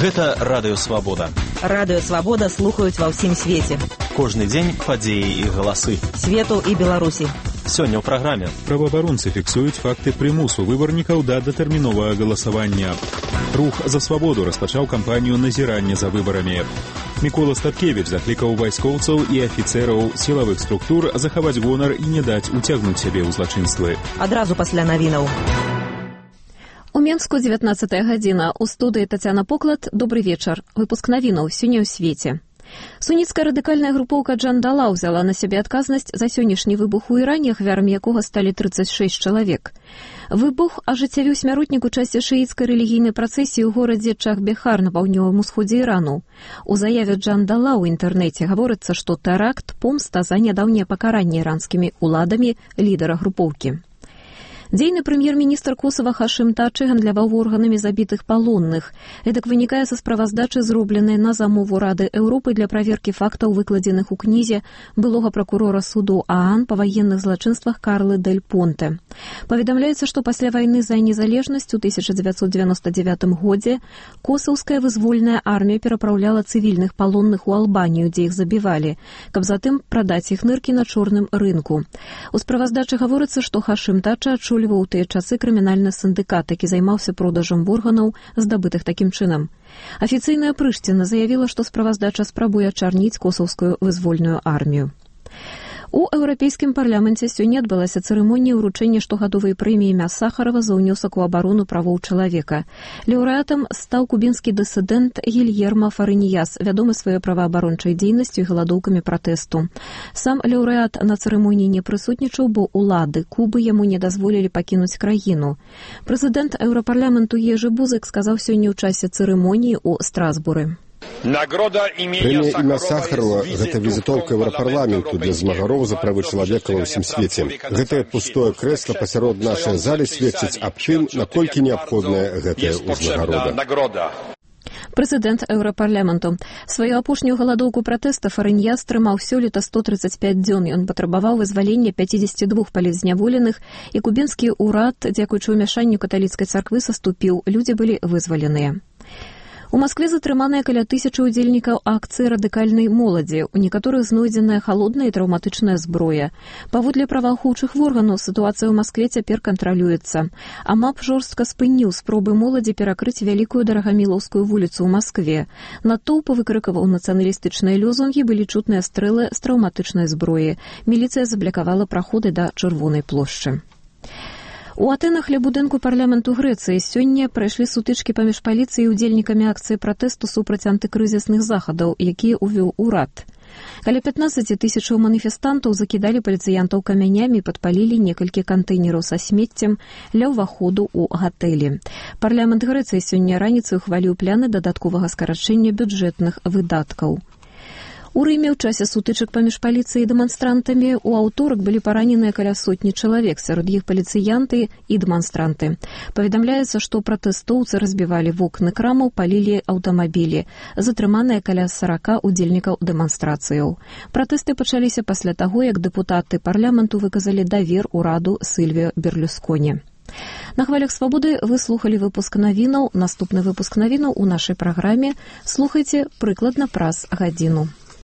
Гэта Радыё Свабода. Радыё Свабода слухаюць ва ўсім свеце. Кожны дзень падзеі і галасы. Свету і Беларусі. Сёння ў праграме. Праваабаронцы фіксуюць факты прымусу выбарнікаў да датэрміновага галасавання. Рух за свабоду распачаў кампанію назірання за выбарамі. Мікола Статкевіч заклікаў вайскоўцаў і афіцэраў сілавых структур захаваць гонар і не даць уцягнуць сябе ў злачынствы. Адразу пасля навінаў. У Менску 19 гадзіна. У студыі Тацяна Поклад. Добрый вечар. Выпуск навінаў сёння ў свеце. Суніцкая радыкальная групоўка Джандала ўзяла на сябе адказнасць за сённяшні выбух у Іране, ахвярамі якога сталі 36 чалавек. Выбух ажыццявіў смяротнік у часе шыіцкай рэлігійнай працэсіі ў горадзе Чах-Бехар на паўднёвым усходзе Ірану. У заяве Джандала ў інтэрнэце гаворыцца, што тэракт помста за нядаўняе пакаранне іранскімі ўладамі лідара групоўкі. Дзейны прэм'ер-міністр Косава Хашым Тачы гандляваў органамі забітых палонных. Гэтак вынікае са справаздачы, зробленай на замову Рады Еўропы для праверкі фактаў, выкладзеных у кнізе былога пракурора суду ААН па ваенных злачынствах Карлы Дель Понте. Паведамляецца, што пасля вайны за незалежнасць у 1999 годзе косаўская вызвольная армія перапраўляла цывільных палонных у Албанію, дзе іх забівалі, каб затым прадаць іх ныркі на чорным рынку. У справаздачы гаворыцца, што Хашым Тача адчуліваў у тыя часы крымінальны сіндыкат, які займаўся продажам органаў, здабытых такім чынам. Афіцыйная Прышціна заявіла, што справаздача спрабуе ачарніць косаўскую вызвольную армію. У Еўрапейскім парламенце сёння адбылася цырымонія ўручэння штогадовай прэміі імя Сахарова за ўнёсак у абарону правоў чалавека. Лаўрэатам стаў кубінскі дысідэнт Гільермо Фарыніяс, вядомы сваёй праваабарончай дзейнасцю і галадоўкамі пратэсту. Сам лаўрэат на цырымоніі не прысутнічаў, бо улады Кубы яму не дазволілі пакінуць краіну. Прэзідэнт Еўрапарламенту Ежы Бузык сказаў сёння ў часе цырымоніі ў Страсбуры. Прэмія імя Сахарова – гэта візітоўка Еўрапарламенту для змагароў за правы чалавека ва ўсім свеце. Гэтае пустое крэсла пасярод нашай залі сведчыць аб тым, наколькі неабходная гэтая ўзнагарода. Прэзідэнт Еўрапарламенту. Сваю апошнюю галадоўку пратэста Фарыніяс трымаў сёлета 135 дзён. Ён патрабаваў вызвалення 52 палітзняволеных, і кубінскі ўрад, дзякуючы ўмяшанню каталіцкай царквы, саступіў. Людзі былі вызваленыя. У Маскве затрыманыя каля 1000 удзельнікаў акцыі радыкальнай моладзі. У некаторых знойдзеная халодная і траўматычная зброя. Паводле праваахоўчых органаў сітуацыя ў Маскве цяпер кантралюецца. АМАП жорстка спыніў спробы моладзі перакрыць вялікую Дарагамілаўскую вуліцу ў Маскве. Натоўп выкрыкаваў нацыяналістычныя лёзунгі, былі чутныя стрэлы з траўматычнай зброі. Міліцыя заблякавала праходы да Чырвонай плошчы. У Атэнах ля будынку парламенту Грэцыі сёння прайшлі сутычкі паміж паліцыяй і удзельнікамі акцыі пратэсту супраць антыкрызісных захадаў, якія ўвёў урад. Каля 15 000 маніфестантаў закідалі паліцыянтаў камянямі і падпалілі некалькі кантэйнераў са смеццем ля ўваходу ў гатэлі. Парламент Грэцыі сёння раніцай ухваліў пляны дадатковага скарачэння бюджэтных выдаткаў. У Рыме ў часе сутычак паміж паліцыяй і дэманстрантамі ў аўторак былі параненыя каля сотні чалавек, сярод іх паліцыянты і дэманстранты. Паведамляецца, што пратэстоўцы разбівалі вокны крамаў, палілі аўтамабілі. Затрыманыя каля 40 удзельнікаў дэманстрацыяў. Пратэсты пачаліся пасля таго, як дэпутаты парламенту выказалі давер ураду Сільвіо Берлюсконі. На хвалях свабоды вы слухалі выпуск навінаў. Наступны выпуск навінаў у нашай праграме слухайце прыкладна праз гадзіну.